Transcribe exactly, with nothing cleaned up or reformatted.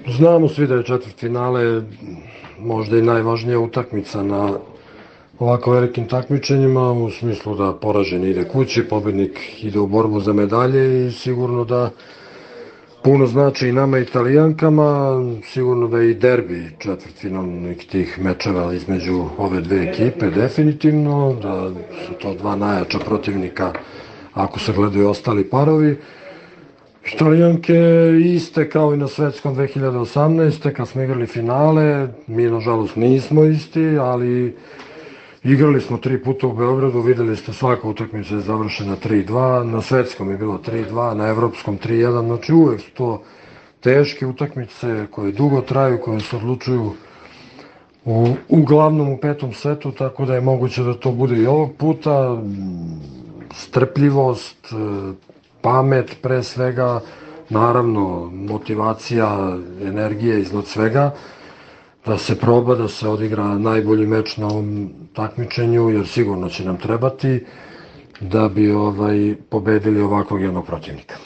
Znamo svi da je četvrtfinale možda i najvažnija utakmica na ovako velikim takmičenjima, u smislu da poražen ide kući, pobednik ide u borbu za medalje i sigurno da puno znači i nama Italijankama, sigurno da je i derbi četvrtfinalnih tih mečeva između ove dve ekipe, definitivno, da su to dva najjača protivnika ako se gledaju ostali parovi. Italijanke iste kao i na svetskom dve hiljade osamnaeste. kad smo igrali finale, mi nažalost nismo isti, ali igrali smo tri puta u Beogradu, videli ste svaka utakmica je završena tri dva, na svetskom je bilo tri dva, na evropskom tri jedan, znači uvek su to teške utakmice koje dugo traju, koje se odlučuju u, uglavnom u petom setu, tako da je moguće da to bude i ovog puta. Strpljivost, pamet pre svega, naravno motivacija, energija iznad svega, da se proba, da se odigra najbolji meč na ovom takmičenju, jer sigurno će nam trebati da bi ovaj pobedili ovakvog jednog protivnika.